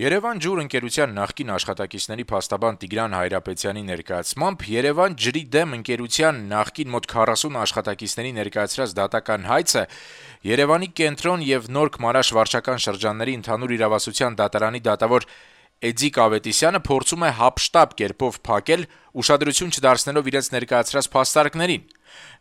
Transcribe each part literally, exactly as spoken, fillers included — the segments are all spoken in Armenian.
Երևան ջուր ընկերության նախկին աշխատակիցների փաստաբան Տիգրան Հայրապետյանի ներկայացմամբ Երևան ջրի դեմ ընկերության նախկին մոտ քառասուն աշխատակիցների ներկայացրած դատական հայցը Երևանի կենտրոն եւ Նորք Մարաշ վարչական շրջանների ընդհանուր իրավասության դատարանի դատավոր Էդիկ Ավետիսյանը փորձում է հապշտապ կերպով փակել, ուշադրություն չդարձնելով իրենց ներկայացրած փաստարկներին։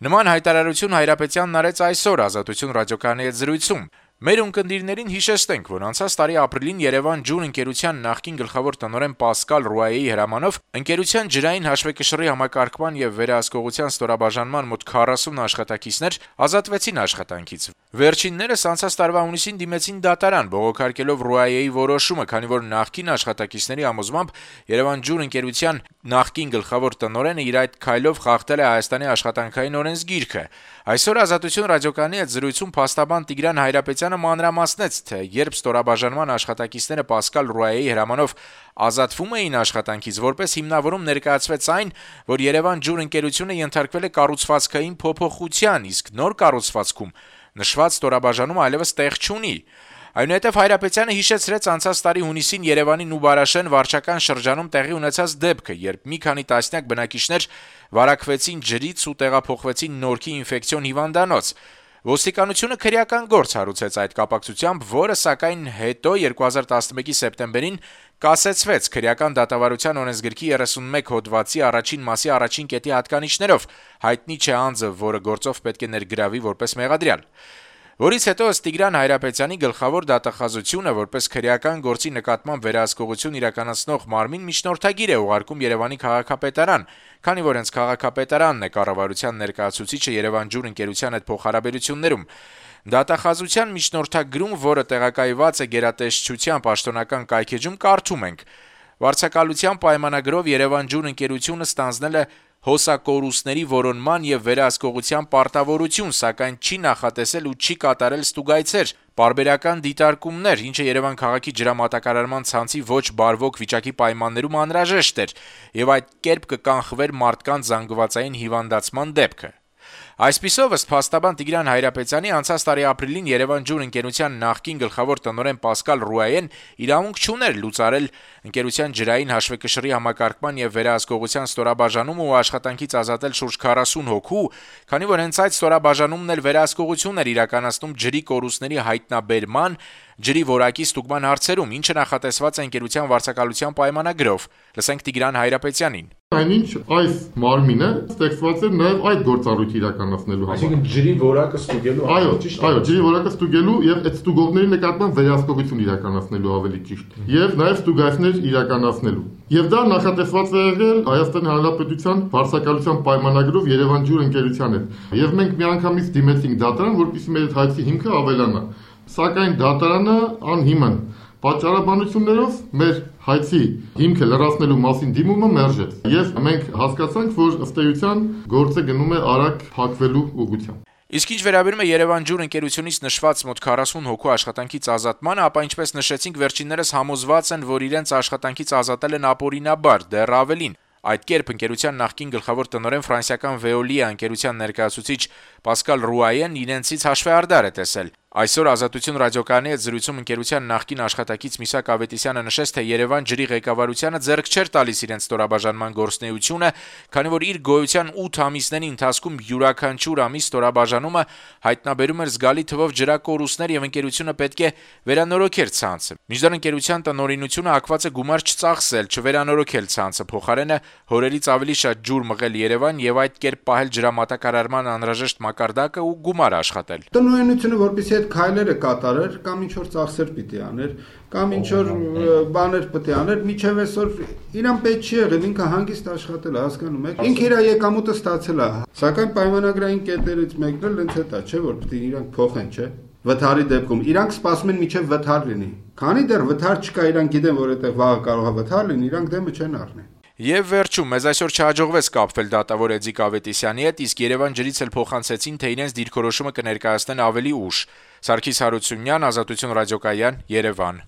Նման հայտարարություն Հայրապետյանն արեց այսօր Ազատություն ռադիոկայանի հետ զրույցում։ Մեր ունկնդիրներին հիշեցնենք, որ անցած տարի ապրիլին Երևան ջուր ընկերության նախկին գլխավոր տնօրեն Պասկալ Ռուայեի հրամանով ընկերության ջրային հաշվեկշռի համակարգման եւ վերահսկողության ստորաբաժանման մոտ քառասուն աշխատակիցներ ազատվեցին աշխատանքից։ Վերջիններս անցած տարվա հունիսին դիմեցին դատարան, բողոքարկելով Ռուայեի որոշումը, քանի որ նախկին աշխատակիցների համոզմամբ Երևան ջուր ընկերության նախկին գլխավոր տնօրենը իր այդ քայլով խախտել է Հայաստանի աշխատանքային օրենսգիրքը։ Այսօր Ազատություն ռադիոկայանի հետ զրույցում փաստաբան Տիգրան Հայրապետյանը մանրամասնեց, թե երբ ստորաբաժանման աշխատակիցները Պասկալ Ռուայեի հրամանով ազատվում էին աշխատանքից, որպես հիմնավորում ներկայացվեց այն, որ Երևան ջուր ընկերությունը ենթարկվել է կառուցվածքային փոփոխության, իսկ նոր կառուցվածքում նշված ստորաբաժանումը այլևս տեղ չունի։ Այնուհետև Հայրապետյանը հիշեցրեց անցած տարի հունիսին Երևանի Նուբարաշեն վարչական շրջանում տեղի ունեցած դեպքը, երբ մի քանի տասնյակ բնակիչներ վարակվեցին ջրից ու տեղափոխվեցին Նորքի ինֆեկցիոն հիվանդանոց։ Ոստիկանությունը քրեական գործ հարուցեց այդ կապակցությամբ, որը սակայն հետո երկու հազար տասնմեկի սեպտեմբերին կասեցվեց քրեական դատավարության օրենսգրքի երեսունմեկ հոդվածի առաջին մասի առաջին կետի հատկանիշներով, հայտնի չէ անձը, որը գործով պետք է ներգրավի որպես մեղադրյալ։ Որից հետո ըստ Տիգրան Հայրապետյանի գլխավոր դատախազությունը որպես քրեական գործի նկատմամբ վերահսկողություն իրականացնող մարմին միջնորդագիր է ուղարկում Երևանի քաղաքապետարան, քանի որ հենց քաղաքապետարանն է կառավարության ներկայացուցիչը Երևան ջուր ընկերության հետ փոխհարաբերություններում։ Դատախազության միջնորդագրում, որը տեղակայված է գերատեսչության պաշտոնական կայքեջում, կարդում ենք. Վարձակալության պայմանագրով Երևան ջուր ընկերությունը ստանձնել է հոսակորուստների որոնման եւ վերահսկողության պարտավորություն, սակայն չի նախատեսել ու չի կատարել ստուգայցեր, պարբերական դիտարկումներ, ինչը Երևան քաղաքի ջրամատակարարման ցանցի ոչ բարվոք վիճակի պայմաններում անհրաժեշտ էր, եւ այդ կերպ կկանխվեր մարդկանց զանգվածային հիվանդացման դեպքը։ Այսպիսով, ըստ փաստաբան Տիգրան Հայրապետյանի, անցած տարի ապրիլին Երևան ջուր ընկերության նախկին գլխավոր տնօրեն Պասկալ Ռուայեն իրավունք չուներ լուծարել ընկերության ջրային հաշվեկշռի համակարգման եւ վերահսկողության ստորաբաժանումը ու աշխատանքից ազատել շուրջ քառասուն հոգու, քանի որ հենց այդ ստորաբաժանումն էլ վերահսկողություն էր իրականացնում ջրի կորուստների հայտնաբերման, ջրի որակի ստուգման հարցերում, ինչը նախատեսված է ընկերության վարձակալության պայմանագրով։ Լսենք Տիգրան Հայրապետյանին։ Այնինչ այս մարմինը ստեղծված էր նաև այդ գործառույթը իրականացնելու համար։ Այսինքն ջրի որակը ստուգելու համար։ Այո, ճիշտ է։ Այո, ջրի որակը ստուգելու եւ այդ ստուգողների նկատմամբ վերահսկողություն իրականացնելու ավելի ճիշտ։ Եվ նաև ստուգայցներ իրականացնելու։ Եվ դա նախատեսված է եղել Հայաստանի Հանրապետության վարձակալության պայմանագրով Երևան ջուր ընկերության հետ։ Եվ մենք միանգամից դիմեցինք դատարան, որպեսզի մեր հայցի հիմքը ավելանա։ Սակայն դատարանը անհիմն պատճառաբանություններով մեր հայցի հիմքը լրացնելու մասին դիմումը մերժեց, եւ մենք հասկացանք, որ ըստ էության գործը գնում է արագ փակվելու ուղղությամբ։ Իսկ ինչ վերաբերում է Երևան ջուր ընկերությունից նշված մոտ քառասուն հոգու աշխատանքից ազատմանը, ապա ինչպես նշեցինք, վերջիններս համոզված են, որ իրենց աշխատանքից ազատել են ապօրինաբար, դեռ ավելին։ Այդ կերպ ընկերության նախկին գլխավոր տնօրեն ֆրանսիական Veolia ընկերության ներկայացուցիչ Պասկալ Ռուայեն իրենցից հաշվեհարդար է տեսել։ Այսօր Ազատություն ռադիոկայանի հետ զրույցում ընկերության նախկին աշխատակից Միսակ Ավետիսյանը նշեց, թե Երևան ջրի ղեկավարությանը ձեռք չէր տալիս իրենց ստորաբաժանման գործունեությունը, քանի որ իր գոյության ութ ամիսների ընթացքում յուրաքանչյուր ամիս ստորաբաժանումը հայտնաբերում էր զգալի թվով ջրակորուստներ եւ ընկերությունը պետք է վերանորոգեր ցանցը։ Մինչդեռ ընկերության տնօրինությունը հակված է գումար չծախսել, չվերանորոգել ցանցը, փոխարենը հորերից ավելի շատ ջուր մղել Երևան եւ այդ կերպ պահել ջրամատակարարման անհրաժեշտ մակարդակը ու գումար աշխատել։ Տնօրինությունը որպեսզի այդ քայլերը կատարեր, կամ ինչ որ ծախսեր պիտի աներ, կամ ինչ որ բաներ պիտի աներ, միջև այսօր իրան պետք չի եղել, ինքը հանգիստ աշխատել է, հասկանում եք։ Ինքը իր եկամուտը ստացել է, սակայն պայմանագրային կետերից մեկն էլ հենց դա չէ, որ պիտի իրանք փոխեն, չէ։ Վթարի դեպքում իրանք սպասում են միջև վթար լինի։ Քանի դեռ վթար չկա, իրանք գիտեն, որ այդտեղ վաղը կարող է վթար լինի, իրանք դեմը չեն առնի։ Եվ վերջում, մեզ այսօր չհաջողվեց կապվել դատավոր Էդիկ Ավետիսյանի հետ, իսկ Երևան ջրից էլ փոխանցեցին, թե իրենց դիրքորոշումը կներկայացնեն ավելի ուշ։ Սարգիս Հարությունյան, Ազատություն ռադիոկայան, Երևան։